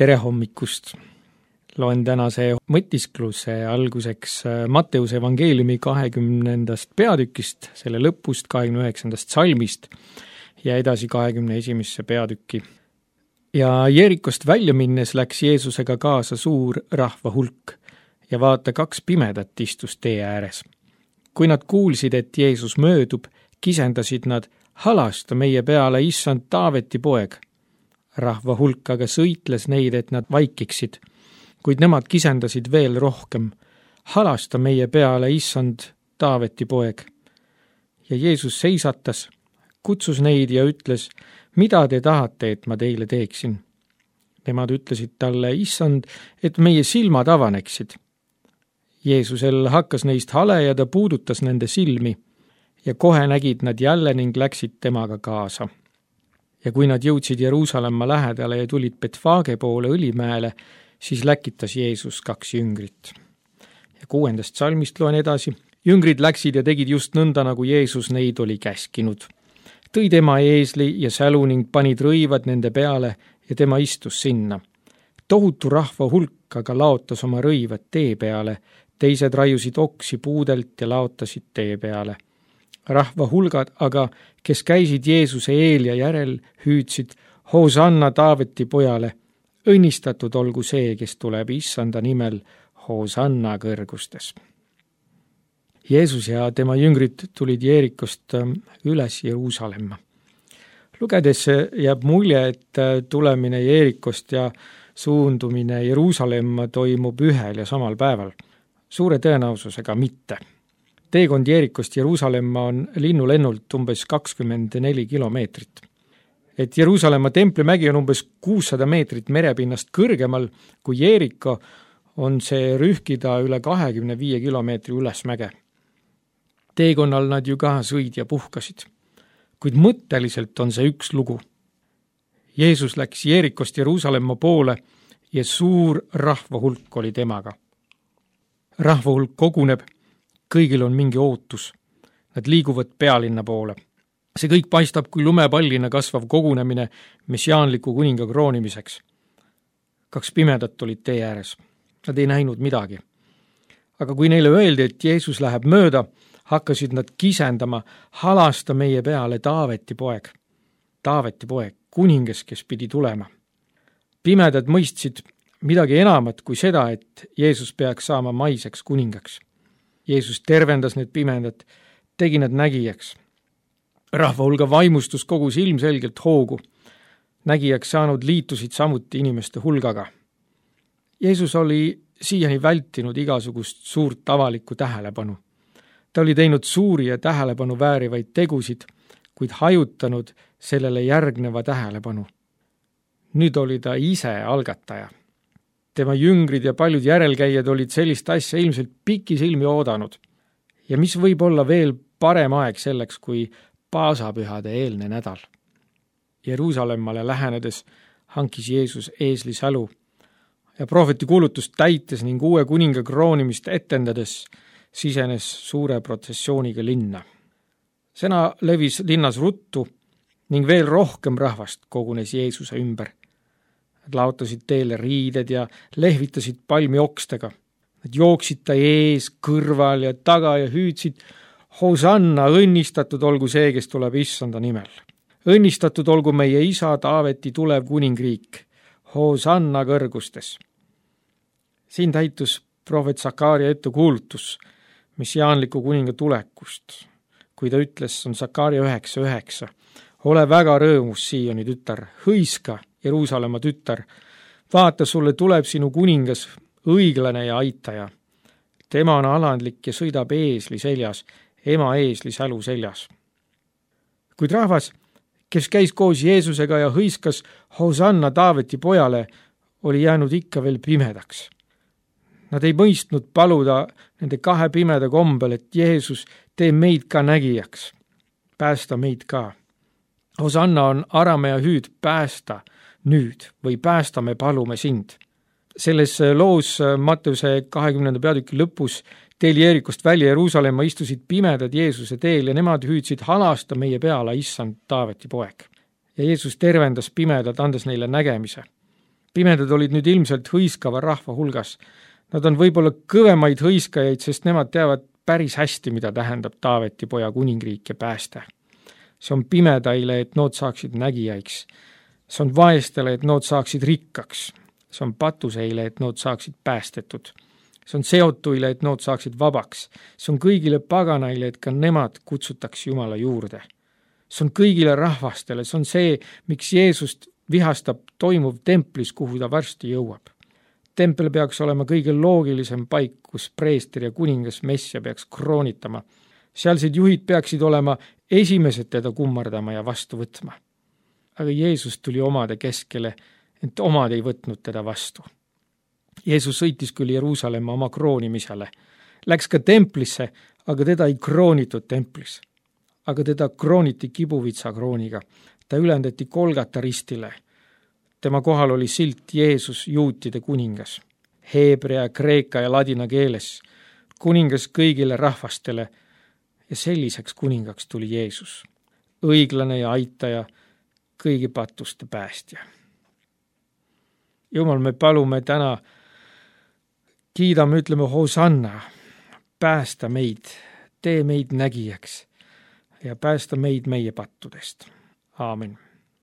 Tere hommikust! Loen tänase mõtiskluse alguseks Matteuse evangeeliumi 20. peatükist, selle lõpust 29. salmist ja edasi 21. peatükki. Ja Jeerikost välja minnes läks Jeesusega kaasa suur rahva hulk ja vaata 2 pimedat istus tee ääres. Kui nad kuulsid, et Jeesus möödub, kisendasid nad, halasta meie peale, issand Taaveti poeg. Rahva hulk aga sõitles neid, et nad vaikiksid, kuid nemad kisendasid veel rohkem. Halasta meie peale, issand Taaveti poeg. Ja Jeesus seisatas, kutsus neid ja ütles, mida te tahate, et ma teile teeksin? Nemad ütlesid talle, issand, et meie silmad avaneksid. Jeesusel hakkas neist hale ja ta puudutas nende silmi ja kohe nägid nad jälle ning läksid temaga kaasa. Ja kui nad jõudsid Jeruusalemma lähedale ja tulid Betfage poole Õlimäele, siis läkitas Jeesus 2 jüngrit. Ja 6. salmist loen edasi. Jüngrid läksid ja tegid just nõnda, nagu Jeesus neid oli käskinud. Tõi tema eesli ja sälu ning panid rõivad nende peale ja tema istus sinna. Tohutu rahva hulk aga laotas oma rõivad tee peale, teised raiusid oksi puudelt ja laotasid tee peale. Rahva hulgad aga, kes käisid Jeesuse eel ja järel, hüüdsid, Hosanna Taaveti pojale, õnnistatud olgu see, kes tuleb issanda nimel, Hosanna kõrgustes. Jeesus ja tema jüngrid tulid Jeerikost üles Jeruusalemma. Lugedes jääb mulje, et tulemine Jeerikost ja suundumine Jeruusalemma toimub ühel ja samal päeval. Suure tõenäosusega mitte. Teekond Jeerikost Jeruusalemma on linnulennult umbes 24 kilomeetrit. Et Jeruusalemma templimägi on umbes 600 meetrit merepinnast kõrgemal kui Jeeriko, on see rühkida üle 25 kilomeetri ülesmäge. Teekonnal nad ju ka sõid ja puhkasid, kuid mõtteliselt on see üks lugu. Jeesus läks Jeerikost Jeruusalemma poole ja suur rahva hulk oli temaga. Rahva hulk koguneb, kõigil on mingi ootus. Nad liiguvad pealinna poole. See kõik paistab kui lumepallina kasvav kogunemine messiaanliku kuninga kroonimiseks. 2 pimedat olid tee ääres. Nad ei näinud midagi. Aga kui neile öeldi, et Jeesus läheb mööda, hakkasid nad kisendama, halasta meie peale Taaveti poeg. Taaveti poeg, kuningas, kes pidi tulema. Pimedad mõistsid midagi enamat kui seda, et Jeesus peaks saama maiseks kuningaks. Jeesus tervendas need pimedad, tegi nad nägijaks. Rahva hulga vaimustus kogus ilmselgelt hoogu. Nägijaks saanud liitusid samuti inimeste hulgaga. Jeesus oli siiani vältinud igasugust suurt avalikku tähelepanu. Ta oli teinud suuri ja tähelepanu väärivaid tegusid, kuid hajutanud sellele järgneva tähelepanu. Nüüd oli ta ise algataja. Tema jüngrid ja paljud järelkäijad olid sellist asja ilmselt pikisilmi oodanud. Ja mis võib olla veel parem aeg selleks, kui paasapühade eelne nädal. Jeruusalemmale lähenedes hankis Jeesus eesli sälu ja prohveti kuulutust täites ning uue kuninga kroonimist etendades sisenes suure protsessiooniga linna. Sõna levis linnas ruttu ning veel rohkem rahvast kogunes Jeesuse ümber. Nad laotasid teele riided ja lehvitasid palmiokstega. Nad jooksid ta ees, kõrval ja taga ja hüüdsid, Hosanna, õnnistatud olgu see, kes tuleb issanda nimel. Õnnistatud olgu meie isa Taaveti tulev kuningriik, Hosanna kõrgustes. Siin täitus prohvet Sakaaria ettekuulutus messiaanliku kuninga tulekust. Kui ta ütles, on Sakaaria 9:9. Ole väga rõõmus, Sioni tütar, hõiska, Jeruusalemma tütar. Vaata, sulle tuleb sinu kuningas, õiglane ja aitaja. Tema on alandlik ja sõidab eesli seljas, ema eesli sälu seljas. Kuid rahvas, kes käis koos Jeesusega ja hõiskas Hosanna Taaveti pojale, oli jäänud ikka veel pimedaks. Nad ei mõistnud paluda nende 2 pimeda kombel, et Jeesus, tee meid ka nägijaks. Päästa meid ka. Hosanna on aramea hüüd päästa nüüd või päästa me palume sind. Selles loos Matteuse 20. peatüki lõpus teel Jeerikost välja Jeruusalemma istusid pimedad Jeesuse teel ja nemad hüüdsid halasta meie peale issand Taaveti poeg. Ja Jeesus tervendas pimedad, andes neile nägemise. Pimedad olid nüüd ilmselt hõiskava rahva hulgas. Nad on võib-olla kõvemaid hõiskajaid, sest nemad teavad päris hästi, mida tähendab Taaveti poja kuningriik ja pääste. See on pimedaile, et nood saaksid nägijaiks. See on vaestele, et nood saaksid rikkaks. See on patuseile, et nood saaksid päästetud. See on seotuile, et nood saaksid vabaks. See on kõigile paganaile, et ka nemad kutsutaks Jumala juurde. See on kõigile rahvastele, see on see, miks Jeesust vihastab toimuv templis, kuhu ta varsti jõuab. Tempel peaks olema kõige loogilisem paik, kus preester ja kuningas Messia peaks kroonitama. Sealsed juhid peaksid olema esimesed teda kummardama ja vastu võtma. Aga Jeesus tuli omade keskele, ent omad ei võtnud teda vastu. Jeesus sõitis küll Jeruusalemma oma kroonimisele. Läks ka templisse, aga teda ei kroonitud templis. Aga teda krooniti kibuvitsa krooniga. Ta ülendati Golgata ristile. Tema kohal oli silt Jeesus, juutide kuningas. Heebrea, kreeka ja ladina keeles. Kuningas kõigile rahvastele. Ja selliseks kuningaks tuli Jeesus. Õiglane ja aitaja, kõigi patuste päästja. Jumal, me palume täna, kiidame, ütleme Hosanna, päästa meid, tee meid nägijaks ja päästa meid meie pattudest. Aamen.